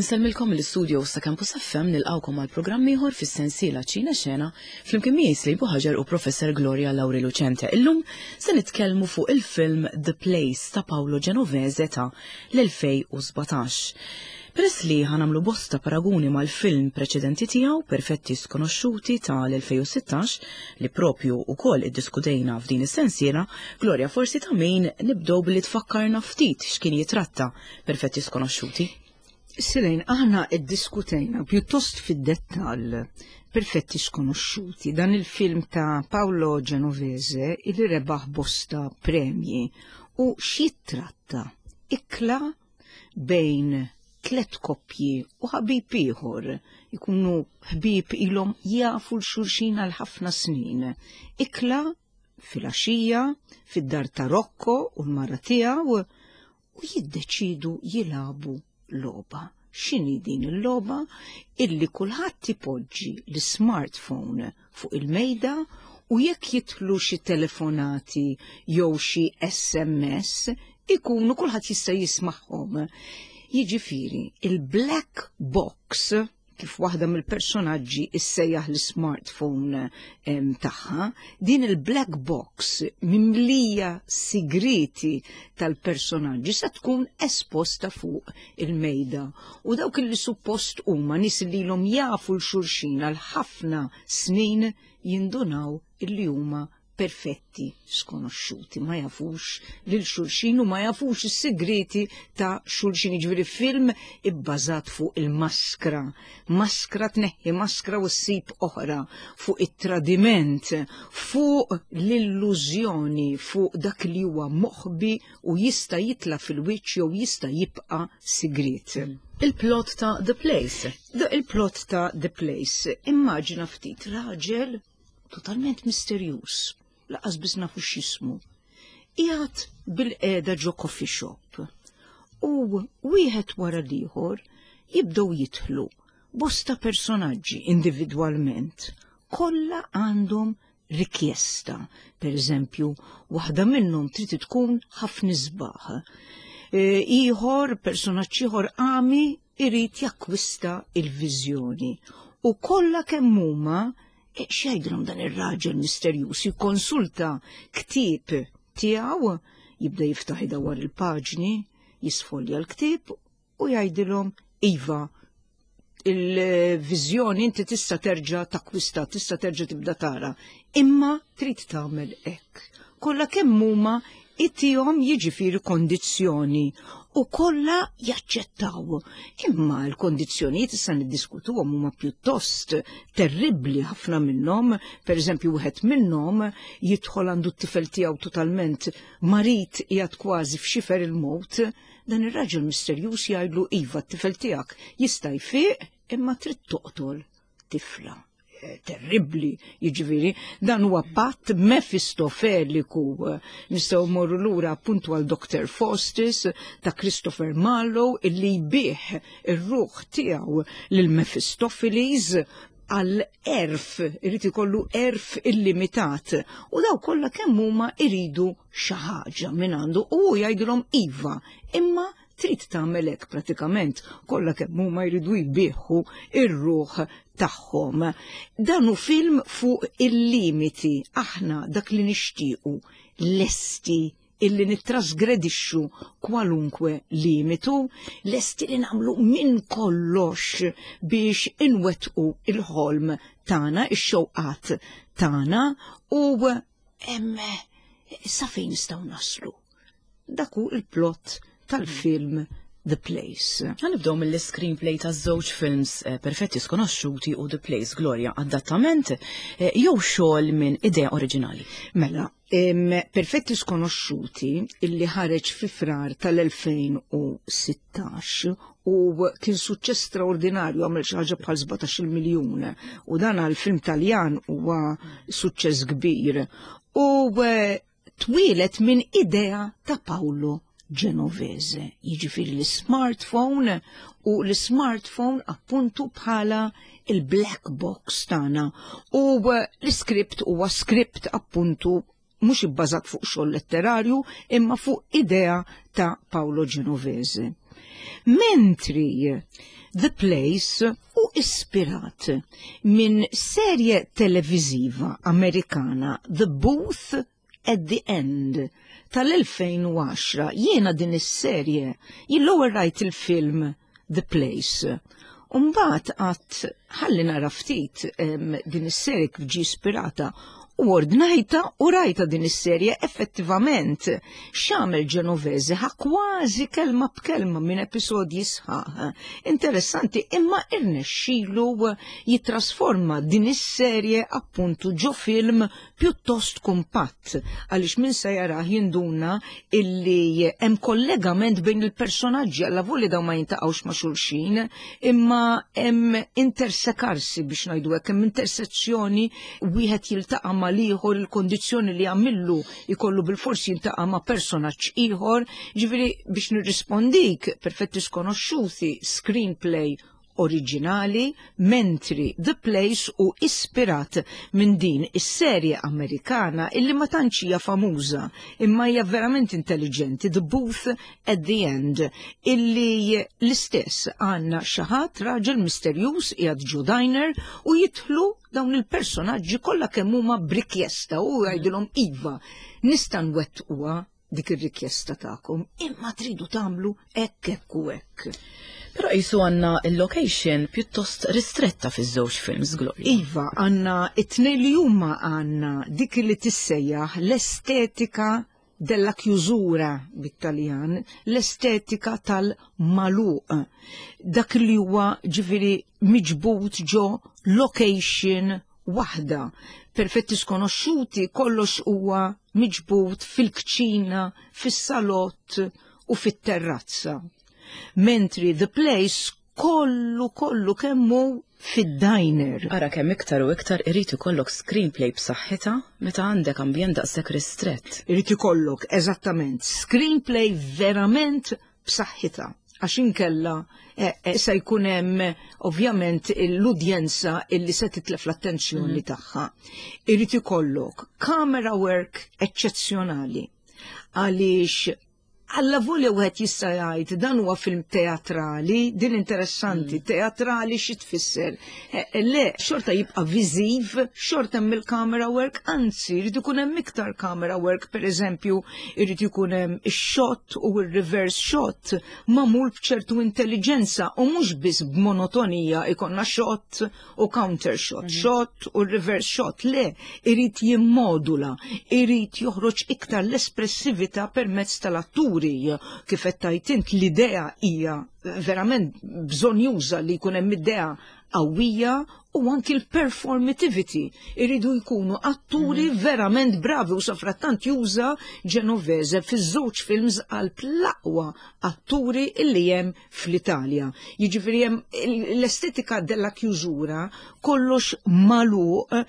Insellmilkom mill-istudio sa Campus FM nilqawkom għal programm ieħor fis-sensiela Ċina Xena flimkien miegħi Slejbu Ħaġar u Professor Gloria Lauri Lucente. Illum se nitkellmu fuq il-film The Place ta' Paolo Genovese ta' l-2017. Peress li ħanamlu bosta paraguni mal-film preċedenti tiegħu Perfetti Skonoxxuti ta' l-2016 li propju ukoll iddiskutejna f'din is-sensiela, Gloria forsi ta' min nibdew billi tfakkarna ftit x'kien jitratta Perfetti Skonoxxuti. Sirejn, aħna iddiskutejna pjuttost fid-dettall Perfetti Skonoxxuti, dan il-film ta' Paolo Genovese illi rebaħ bosta premji u x'jittratta ikla bejn tlet koppji u ħabib ieħor ikunu ħbieb ilhom jafu l-xulxin għal ħafna snin. Ikla filgħaxija fid-dar ta' Rocco u l-mara tiegħu u jiddeċidu jilagħbu logħba. X'inhi din il-logħba? Illi kulħadd ipoġġi l-smartphone fuq il-mejda u jekk jidħlu xi telefonati jew xi SMS ikunu kulħadd jista' jismagħhom. Jiġifieri, il-black box kif waħda mill-personaġġi issejjaħ l-smartphone tagħha, din il-black box mimlija sigriti tal-personaġġi se tkun esposta fuq il-mejda. U dawk li suppost huma nies li ilhom jafu l-xulxin għal ħafna snin jindunaw illi huma perfetti skonoxxuti, ma jafux lil xulxin u ma jafux is-sigriti ta' xulxin. Jiġifieri film ibbażat fuq il-maskra, maskra tneħħi maskra u ssib oħra, fuq it-tradiment, fuq l-illużjoni, fuq dak li huwa moħbi u jista' jitla' fil-wiċċ jew jista' jibqa' sigriet. Il-plot ta' The Place. Il-plot ta' The Place. Immaġina ftit raġel totalment misterjuż, laqas biss nafu x'jismu. Qiegħed bil-qiegħda ġo coffee shop u wieħed wara l-ieħor jibdew jidħlu bosta personaġġi individwalment, kollha għandhom rikjesta. Per eżempju, waħda minnhom trid tkun ħafna isbaħ. E, ieħor, personaġġ ieħor għami irid jakkwista il-viżjoni. U kollha kemm huma e, x'jgħidilhom dan ir-raġel misterjuż jikkonsulta ktieb tiegħu, jibda jiftaħ idawwar il-paġni, jisfolja l-ktieb u jgħidilhom iva il-viżjoni inti tista' terġa' takkwista, tista' terġa' tibda tara, imma trid tagħmel hekk. Kollha kemm huma itihom jiġifieri kondizzjoni u kollha jaċċettaw. Imma l-kondizzjonijiet issa niddiskutuhom huma pjuttost terribbli ħafna minnhom, pereżempju wieħed minnhom jidħol għandu t-tifel tiegħu totalment marid qiegħed kważi f'xifer il-mowt, dan ir-raġel misterjuż jgħidlu iva t-tifel tiegħek jista' jfiq imma trid toqtol tifla. Eh, terribbli, jiġifieri, dan huwa patt mefistofeliku. Nistgħu morru lura appuntu għal Dr. Faustus ta' Christopher Marlowe illi jbih ir-ruħ tiegħu lil Mephistopheles għal erf, irid ikollu erf illimitat. U daw kollha kemm huma iridu xi ħaġa minn għandu u hu jgħidilhom iva, imma trid tagħmel hekk pratikament kollha kemm huma jridu jbieħu ir-ruħ tagħhom. Dan hu film fuq il-limiti aħna dak li nixtiequ lesti illi nittrasgredixxu kwalunkwe limitu, lesti li nagħmlu minn kollox biex inwettqu il-ħolm tagħna, ix-xewqat tagħna u hemm sa fejn nistgħu naslu. Dak hu il-plot tal-film The Place. Ħanibdew mill-screenplay ta' żewġ films eh, perfetti skonoxxuti u The Place Gloria adattament eh, jew xogħol minn idea oriġinali. Mela, Perfetti Skonoxxuti illi ħareġ fi frar tal-2016 u kien suċċess straordinarju għamel xi ħaġa bħal 17 miljun u dan għal film Taljan huwa suċċess kbir. U eh, twieled minn idea ta' Paolo Genovese, jiġifieri l-smartphone u l-smartphone appuntu bħala il-black box tagħna. U eh, l-iskript huwa skript appuntu mhux ibbażat fuq xogħol letterarju imma fuq idea ta' Paolo Genovese. Mentri The Place hu ispirat minn serje televiżiva Amerikana The Booth at the End tal-2010. Jiena din is-serje, jien l-ewwel rajt il-film The Place. Umbagħad għedt ħalli nara ftit din is-serje kif ġie ispirata u ordnajta u rajta din is-serje. Effettivament, x'għamel Genovese, ħa kważi kelma b'kelma minn episodji sħaħ. Interessanti, imma irnexxielu jitrasforma din is-serje appuntu ġo film pjuttost kumpatt, għaliex min se jarah jinduna illi hemm kollegament bejn il-personaġġi, allavolja dawn ma jintaqgħux ma' xulxin, imma hemm intersekarsi, biex ngħidu hekk, hemm intersezzjoni, wieħed jiltaqa' mal-ieħor, il-kondizzjoni li jagħmillu jkollu bilfors jiltaqa' ma' personaġġ ieħor. Ġifieri biex nirrispondik, Perfetti Skonoxxuti screenplay oriġinali, mentri The Place hu ispirat minn din is-serje Amerikana illi ma tantx hija famuża imma hija verament intelligenti, The Booth at the End, illi l-istess għandna xi ħadd, raġel misterjuż qiegħed ġo diner u jidħlu dawn il-personaġġi kollha kemm huma b'rikjesta u jgħidilhom: "Iva, nista' nwettquha dik ir-rikjesta tagħkom, imma tridu tagħmlu hekk, hekk u hekk." Però qisu għandna il-location pjuttost ristretta fiż-żewġ films, Gloria. Iva, għandna it-tnejn li huma għandna dik li tissejjaħ l-estetika della chiusura bit-Taljan, l-estetika tal-magħluq. Dak li huwa ġifieri miġbud ġo location waħda. Perfetti Skonoxxuti kollox huwa miġbud fil-kċina, fis-salott u fit-terrazza. Mentri The Place kollu kollu kemmu fid-diner. Ara kemm iktar u iktar irid ikollok screenplay b'saħħitha meta għandek ambjent daqshekk ristrett. Irid ikollok eżattament screenplay verament b'saħħitha, għax inkella se jkun hemm ovvjament l-udjenza illi se titlef l-attenzjoni tagħha. Irid ikollok camera work eċċezzjonali, għaliex allavolja wieħed jista' jgħid dan huwa film teatrali, din interessanti, teatrali xi tfisser? Le, xorta jibqa' viżiv, xorta hemm il-camera work, anzi jrid ikun hemm iktar camera work, pereżempju, irid ikun hemm ix-shot u r-reverse shot magħmul b'ċertu intelligenza u mhux biss b'monotonija ikonna shot u counter shot, shot u reverse shot. Le, irid jimmodula, irid joħroġ iktar l-espressività permezz tal-atturi. Kif qed tgħid int, l-idea hija verament bżonjuża li jkun hemm idea qawwija u anki l-performativity. Iridu jkunu atturi verament bravi u safrattant juża Genovese fiż-żewġ films għal l-aqwa atturi illi hemm fl-Italja. Jiġifieri hemm l-estetika della chiusura, kollox magħluq,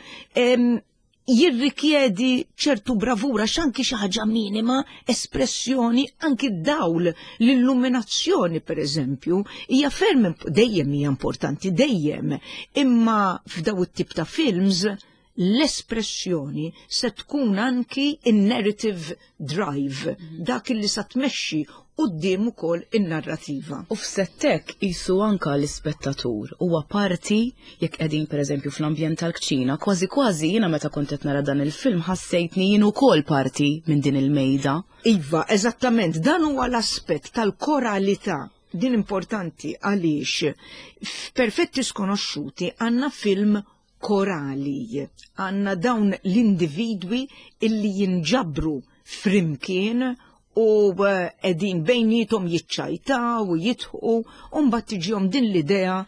jirrikjedi ċertu bravura, x'anki xi ħaġa minima, espressjoni, anki d-dawl, l-illuminazzjoni per eżempju, hija ferm dejjem hija importanti, dejjem, imma f'daw it-tip ta' films l-espressjoni se tkun anki in-narrative drive, dak li sa tmexxi quddiem ukoll in-narrativa. U f'settek qisu anka l-ispettatur huwa parti, jekk qegħdin pereżempju fl-ambjent tal-kċina, kważi kważi jiena meta kont qed nara dan il-film ħassejtni jien ukoll parti minn din il-mejda. Iva, eżattament, dan huwa l-aspett tal-koralità. Din importanti għaliex f'Perfetti Skonoxxuti għandna film korali. Għandna dawn l-individwi illi jinġabru flimkien u qegħdin bejnietom jiċċajtaw u jidħqu u mbagħad tiġihom din l-idea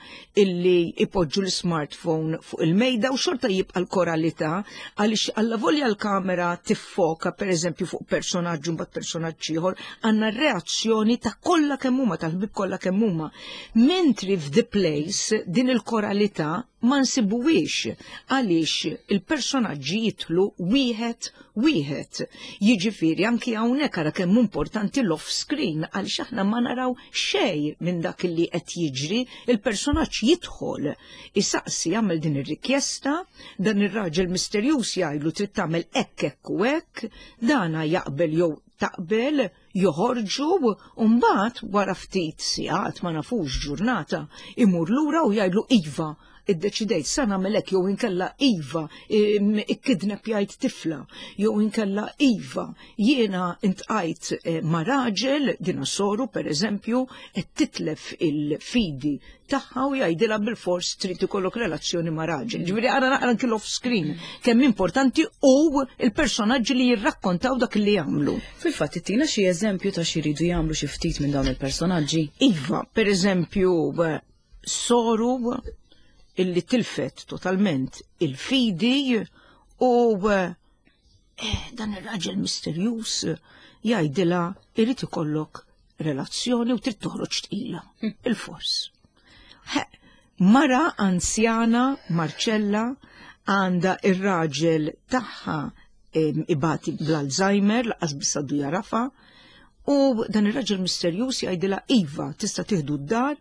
illi ipoġġu l-smartphone fuq il-mejda u xorta jibqa' l-koralità, għaliex allavolja l-kamera tiffoka pereżempju fuq personaġġ u mbagħad personaġġ ieħor, għandna reazzjoni ta' kollha kemm huma, tal-ħbieb kollha kemm huma. Mentri f'The Place din il-koralità ma nsibuhiex, għaliex il-personaġġi jidħlu wieħed wieħed. Jiġifieri anki hawnhekk ara kemm importanti l-off screen, għaliex aħna ma naraw xejn minn dak li qed jiġri, il-personaġġ jidħol, isaqsi, jagħmel din ir-rikjesta, dan ir-raġel misterjuż jgħidlu trid tagħmel hekk, hekk u hekk, dana jaqbel jew Taqbel joħorġu u mbagħad wara ftit sigħat ma nafux ġurnata imur lura u jgħidlu iva iddeċidejt sa nagħmel hekk jew inkella iva ikkidnepjajt tifla jew inkella iva jiena intqajt eh, ma' raġel dina soru pereżempju qed titlef il-fidi tagħha u jgħidilha bil-fors trid ikollok relazzjoni ma' raġel. Ġifieri ara naqra anki off screen kemm importanti u il-personaġġi li jirrakkontaw dak li jagħmlu. Fil-fatt ittina xi eżempju ta' xi jridu jagħmlu xi ftit minn dawn il-personaġġi. Iva, pereżempju, soru illi tilfet totalment il-fidi u eh, dan ir-raġel misterjuż jgħidilha irid ikollok relazzjoni u trid toħroġ tqila. Il-fors. Mara anzjana Marcella għandha ir-raġel tagħha ibati bl-Alzheimer laqas biss għadu jarafa u dan ir-raġel misterjuż jgħidilha iva tista' tieħdu d-dar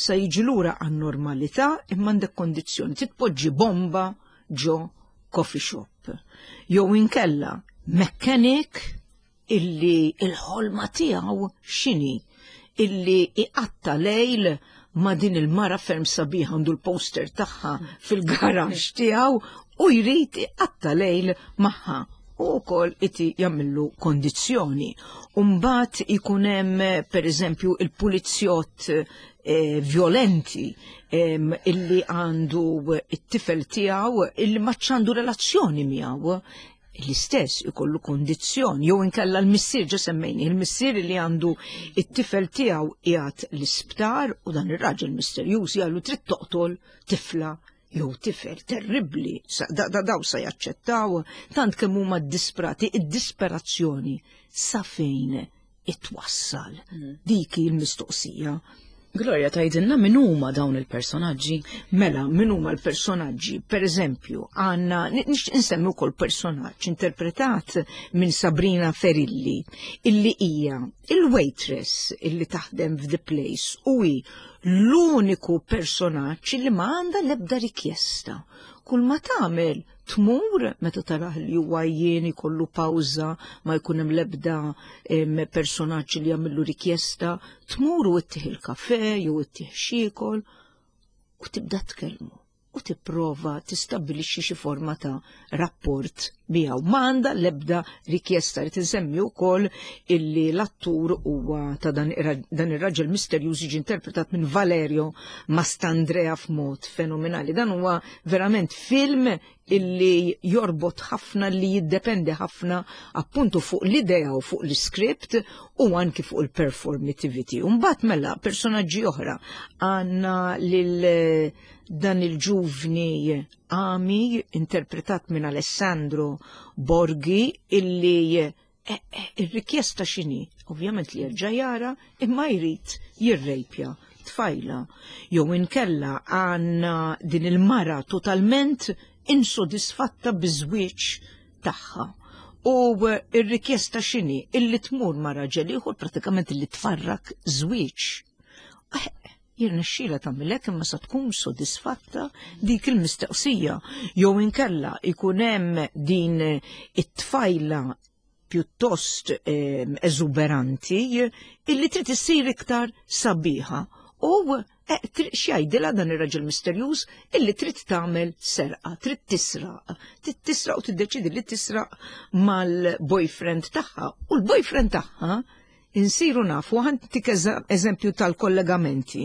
sa jiġi lura għan-normalità imma għandek kondizzjoni titpoġġi bomba ġo coffee shop. Jew inkella mechanic illi il-ħolma tiegħu x'inhi illi iqatta lejl ma' din il-mara ferm sabiħa għandu l-poster tagħha fil-garax tiegħu u jrid iqatta lejl magħha u wkoll iti jagħmillu kondizzjoni. Umbagħad ikun hemm pereżempju il-pulizzjott eh, violenti illi għandu it-tifel tiegħu illi ma għandu relazzjoni miegħu l-istess ikollu kondizzjoni jew inkella l-missier ġa semmejni il-missier li għandu it-tifel tiegħu qiegħed l-isptar u dan ir-raġel misterjuż jgħallu trid toqtol tifla jew tifel terribbli da, da, daw sa jaċċettaw tant kemm huma disprati id-disperazzjoni sa fejn itwassal. Dik hi l-mistoqsija. Gloria tgħidilna min huma dawn il-personaġġi? Mela, min huma l-personaġġi? Per eżempju, għandna nixtieq insemmi wkoll personaġġ interpretat minn Sabrina Ferilli, illi hija il-waitress illi taħdem f'The Place u hi l-uniku personaġġ li ma għandha l-ebda rikjesta. Kull ma tagħmel tmur meta tarah li huwa jien ikollu pawża ma jkun hemm l-ebda personaġġ li jagħmillu rikjesta, tmur u ittih il-kafe jew ittih xiekol u tibda tkellmu u tipprova tistabbilixxi xi forma ta' rapport miegħu. Ma għandha l-ebda rikjesta li tinsemmi wkoll illi l-attur huwa ta' dan ir-raġel misterjuż jiġi interpretat minn Valerio Mastandrea f'mod fenomenali. Dan huwa verament film illi jorbot ħafna li jiddependi ħafna appuntu fuq l-idea u fuq l-script u anki fuq il-performativity. Mbagħad mela personaġġi oħra għandna lil dan il-ġuvni Ami interpretat minn Alessandro Borghi illi eh, eh, ir-rikjesta x'inhi? Ovvjament li jerġa' jara imma jrid jirrejpja tfajla. Jew inkella għandna din il-mara totalment insodisfatta biż-żwieġ tagħha. U ir-rikjesta x'inhi? Illi tmur ma' raġel ieħor pratikament illi tfarrak żwieġ. Eh, Jirnexxielha tagħmel hekk imma sa tkun sodisfatta dik il-mistoqsija jew inkella ikun hemm din it-tfajla pjuttost ehm, eżuberanti illi trid issir iktar sabiħa u eh, x'jgħidilha dan ir-raġel misterjuż illi trid tagħmel serqa, trid tisraq, trid tisraq u tiddeċidi li tisraq mal-boyfriend tagħha u l-boyfriend tagħha insiru nafu, ħantik eżempju tal-kollegamenti,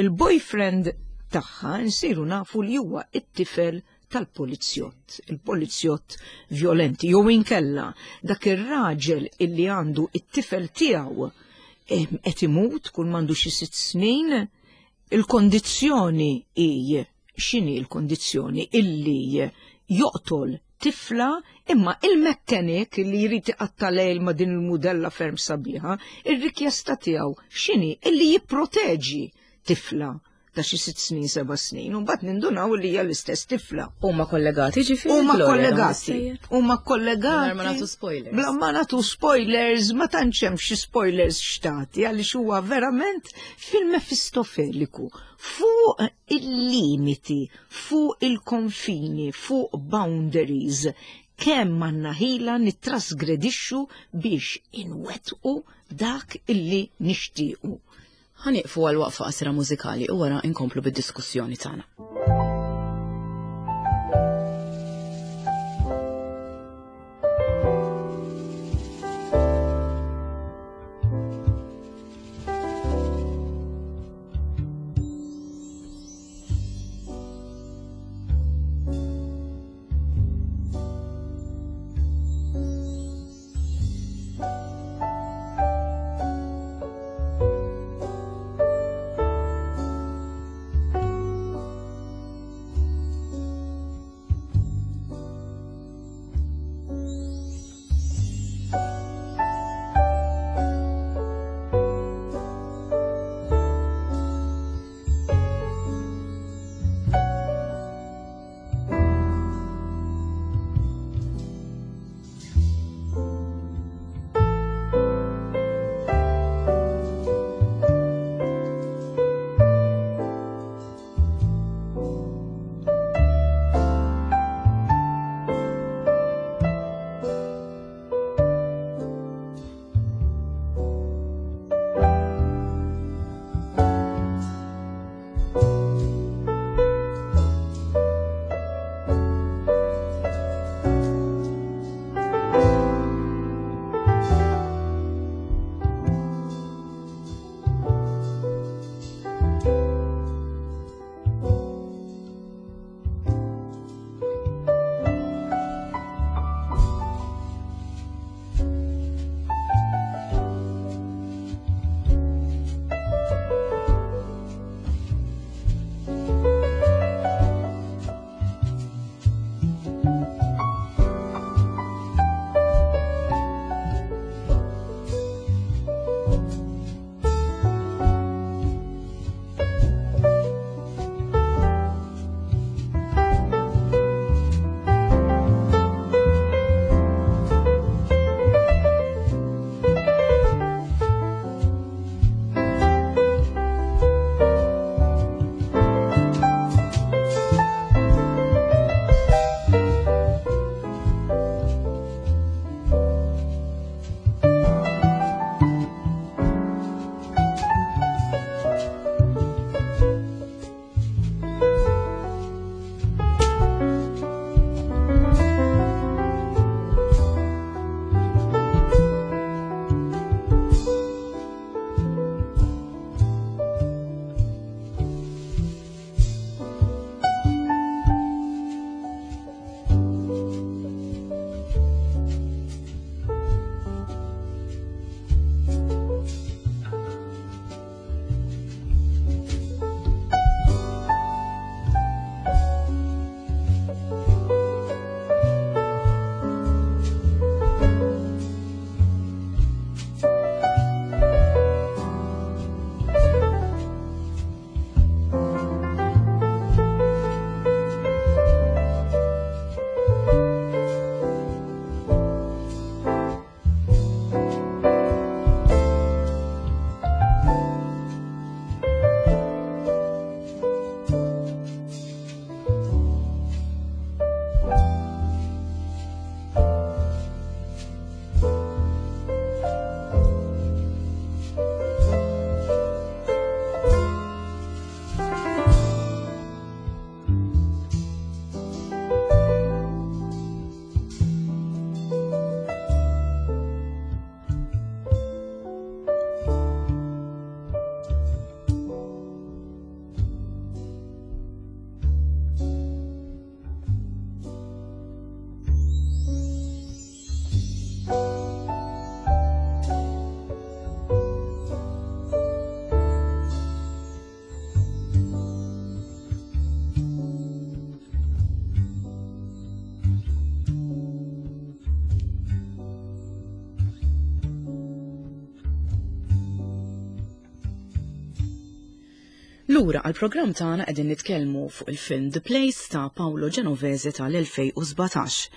il-boyfriend tagħha nsiru nafu li huwa it-tifel tal-polizjott, il-polizjott violenti, jew inkella dak ir-raġel illi għandu it-tifel tiegħu qed imut kull m'għandu xi sitt snin, il-kondizzjoni hi x'inhi l-kondizzjoni illi joqtol tifla imma il-mechanic li jrid iqatta' lejl ma' din il-mudella ferm sabiħa, ir-rikjesta tiegħu x'inhi illi jipproteġi tifla ta' xi sitt snin, seba' snin, u mbagħad nindunaw li hija l-istess tifla. Huma kollegati ġifieri? Huma kollegati. Huma kollegati. Bla ma nagħtu spoilers. Bla ma nagħtu spoilers, ma tantx hemm xi spoilers xtati għaliex huwa verament film mefistofeliku fuq il-limiti, fuq il-konfini, fuq boundaries. Kemm għandna ħila nittrasgredixxu biex inwettqu dak illi nixtiequ. Ħa nieqfu għal waqfa qasira mużikali u wara inkomplu bid-diskussjoni tagħna. Lura għall-programm tagħna qegħdin nitkellmu fuq il-film The Place ta' Paolo Genovese tal-2017.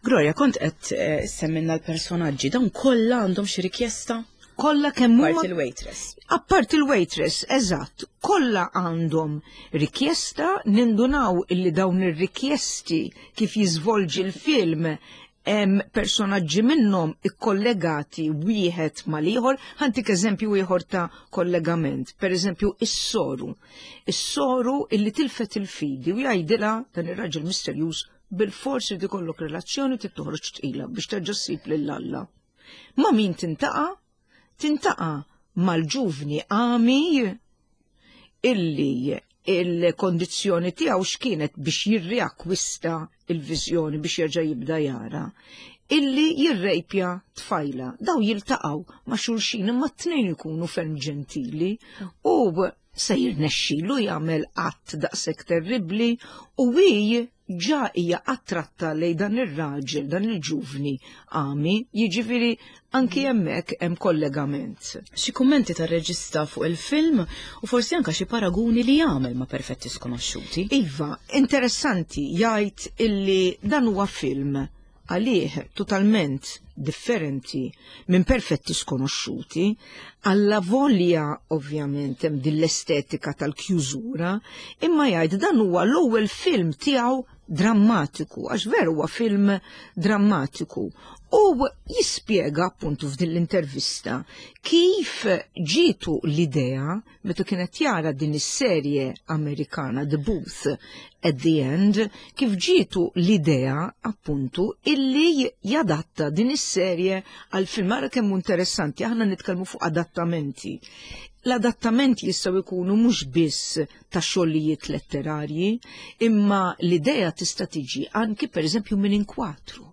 Gloria, kont qed eh, semmilna l-personaġġi, dawn kollha għandhom xi rikjesta? Kollha kemm huma. Apart il-waitress. Apart il-waitress, eżatt. Kollha għandhom rikjesta, nindunaw illi dawn ir-rikjesti kif jiżvolġi l-film Hemm personaġġi minnhom ikkollegati wieħed mal-ieħor, ħantik eżempju ieħor ta' kollegament. Per eżempju, is-soru. Is-soru illi tilfet il-fidi u jgħidilha dan ir-raġel misterjuż bil-fors irid ikollok relazzjoni trid toħroġ tqila biex terġa' ssib lil Alla. Ma' min tintaqa'? Tintaqa' mal-ġuvni għami illi il-kondizzjoni tiegħu x'kienet biex jirriakkwista il-viżjoni biex jerġa' jibda jara, illi jirrejpja tfajla. Daw jiltaqgħu ma' xulxin imma t-tnejn ikunu ferm ġentili u se jirnexxilu jagħmel att daqshekk terribbli u hi ġa hija attratta lej dan ir-raġel, dan il-ġuvni għami, jiġifieri anki hemmhekk hemm kollegament. Xi kummenti tar-reġista fuq il-film u forsi anka xi paraguni li jagħmel ma' Perfetti Skonoxxuti. Iva, interessanti jgħid illi dan huwa film għalih totalment differenti minn Perfetti Skonoxxuti, alla volja ovvjament hemm din l-estetika tal-kjużura, imma jgħid dan huwa l-ewwel film tiegħu drammatiku, għax veru huwa film drammatiku. U jispjega appuntu f'din l-intervista kif ġietu l-idea meta kienet jara din is-serje Amerikana The Booth at the End, kif ġietu l-idea appuntu illi jadatta din is-serje għal film. Ara kemm interessanti, aħna nitkellmu fuq adattamenti. L-adattamenti jistgħu jkunu mhux biss ta' xogħlijiet letterarji, imma l-idea tista' tiġi anki pereżempju minn inkwatru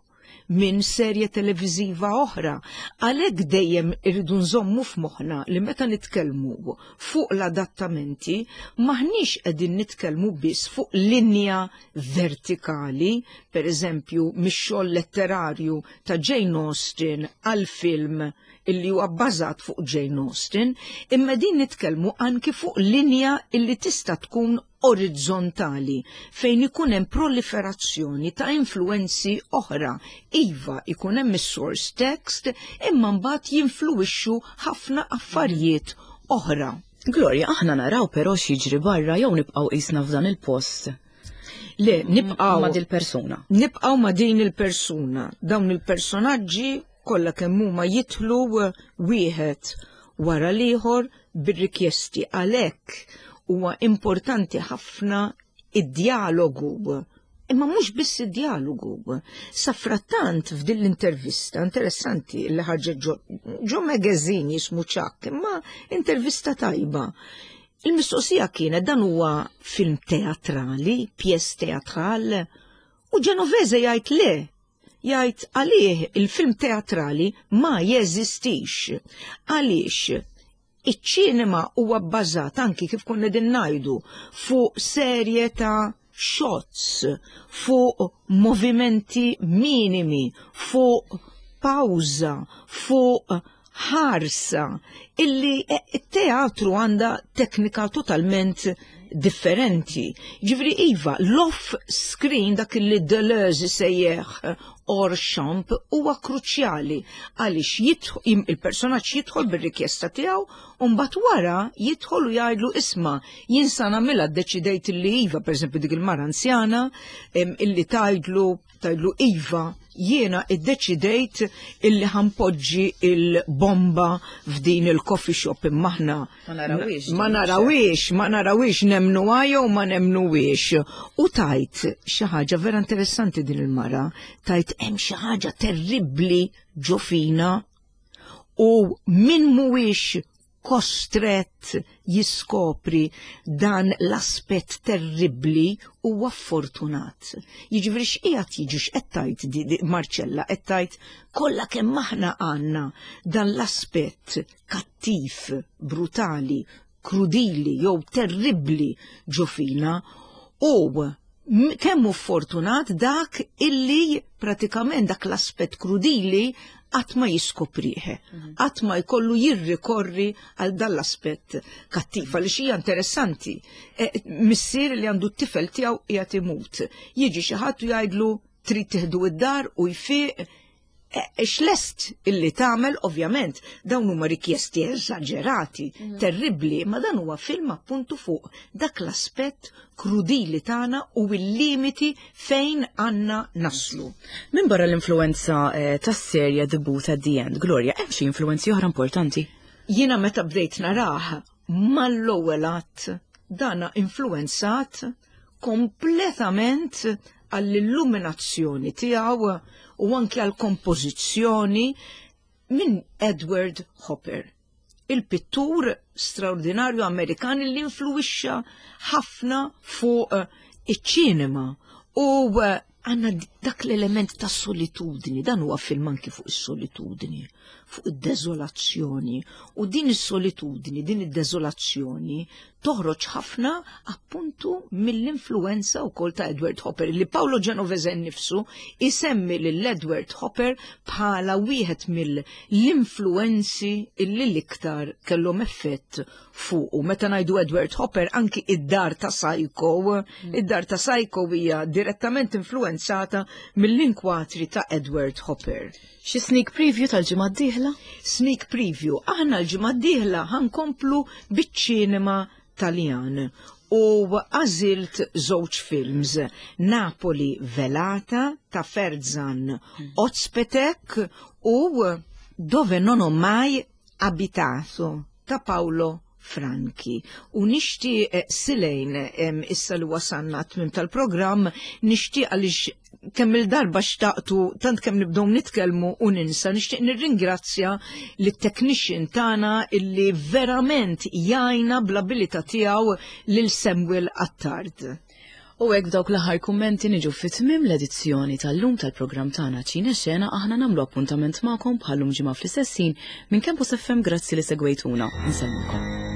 minn serje televiżiva oħra. Għalhekk dejjem irridu nżommu f'moħħna li meta nitkellmu fuq l-adattamenti maħniex qegħdin nitkellmu biss fuq linja vertikali, per eżempju mix-xogħol letterarju ta' Jane Austen għal film illi huwa bbażat fuq Jane Austen, imma din nitkellmu anki fuq linja illi tista' tkun orizzontali fejn ikun hemm proliferazzjoni ta' influenzi oħra. Iva, ikun hemm is-source text, imma mbagħad jinfluwixxu ħafna affarijiet oħra. Gloria, aħna naraw però x'jiġri barra jew nibqgħu qisna f'dan il-post. Le, nibqgħu ma' din il-persuna. Nibqgħu ma' din il-persuna. Dawn il-personaġġi kollha kemm huma jidħlu wieħed wara l-ieħor bir-rikjesti. Għalhekk huwa importanti ħafna id-djalogu. Imma mhux biss id-djalogu. Safrattant f'din l-intervista interessanti li ħarġet ġo, ġo magazine jismu Chuck, imma intervista tajba. Il-mistoqsija kienet dan huwa film teatrali, pjes teatral, u Genovese jgħid le, jgħid għalih il-film teatrali ma jeżistix. Għaliex iċ-ċinema huwa bbażat anki kif konna din ngħidu fuq serje ta' shots, fuq movimenti minimi, fuq pawża, fuq ħarsa, illi it-teatru għandha teknika totalment differenti. Ġifri iva, l-off screen dak li Deleuze sejjeħ or champ huwa kruċjali għaliex il-personaġġ jidħol bir-rikjesta tiegħu u mbagħad wara jidħol u jgħidlu isma' jien sa nagħmilha ddeċidejt li iva, pereżempju dik il-mara anzjana illi tgħidlu tgħidlu iva jiena iddeċidejt illi ħanpoġġi il-bomba f'din il-coffee shop imma aħna Ma narawhiex. Ma narawhiex, ma narawhiex nemnuha jew ma nemnuhiex. U tajt xi ħaġa vera interessanti din il-mara, tajt hemm xi ħaġa terribbli ġo fina u min mhuwiex kostrett jiskopri dan l-aspett terribbli huwa fortunat. Jiġifieri x'qiegħed jiġi x'qed tgħid Marcella qed tgħid kollha kemm aħna għandna dan l-aspett kattiv, brutali, krudili jew terribbli ġo fina u kemm hu fortunat dak illi pratikament dak l-aspett krudili qatt ma jiskoprih, mhm. qatt ma jkollu jirrikorri għal dan l-aspett kattiv għaliex hija interessanti. E, missier li għandu t-tifel tiegħu qiegħed imut. Jiġi xi ħadd u jgħidlu trid tieħdu id-dar u jfiq. Eh, x'lest illi tagħmel ovvjament dawn huma rikjesti eżaġerati, mhm. terribbli, ma dan huwa film appuntu fuq dak l-aspett krudili tagħna u l-limiti fejn għandna naslu. Min barra l-influenza eh, tas-serja The Booth at the End, Gloria, hemm xi influenzi oħra importanti? Jiena meta bdejt narah mal-ewwel att dana influenzat kompletament għall-illuminazzjoni tiegħu u anke għall-kompożizzjoni minn Edward Hopper, il-pittur straordinarju Amerikan li influwixxa ħafna fuq iċ-ċinema u għanna dak l-element ta' solitudni, dan huwa film anki fuq is-solitudni, fuq id-deżolazzjoni. U din is-solitudni, din id-deżolazzjoni toħroġ ħafna appuntu mill-influenza wkoll ta' Edward Hopper, li Paolo Genovese nnifsu isemmi lil Edward Hopper bħala wieħed mill-influenzi illi l-iktar kellhom effett fuqu. Meta ngħidu Edward Hopper anki id-dar ta' Psycho, mm. id-dar ta' Psycho hija direttament influenzata mill-inkwatri ta' Edward Hopper. Xi sneak preview tal-ġimgħa d-dieħla? Sneak preview. Aħna l-ġimgħa d-dieħla ħankomplu biċ-ċinema Taljan u għażilt żewġ films Napoli Velata ta' Ferzan mm. Ozpetek u Dove non ho mai abitato ta' Paolo Franchi. U nixtieq eh, Silejn issa li wasanna tmim tal-programm nixtieq għaliex kemm il-darba xtaqtu tant kemm nibdew nitkellmu u ninsa nixtieq nirringrazzja lit-technician tagħna illi verament jgħinna bl-abilità tiegħu lil Samuel Attard. U hekk b'dawk l-aħħar kummenti niġu fi tmiem l-edizzjoni tal-lum tal-programm tagħna Ċine Xena aħna nagħmlu appuntament magħkom bħal-lum ġimgħa fl-istess ħin minn Campus FM grazzi li segwejtuna. Insellmulkom.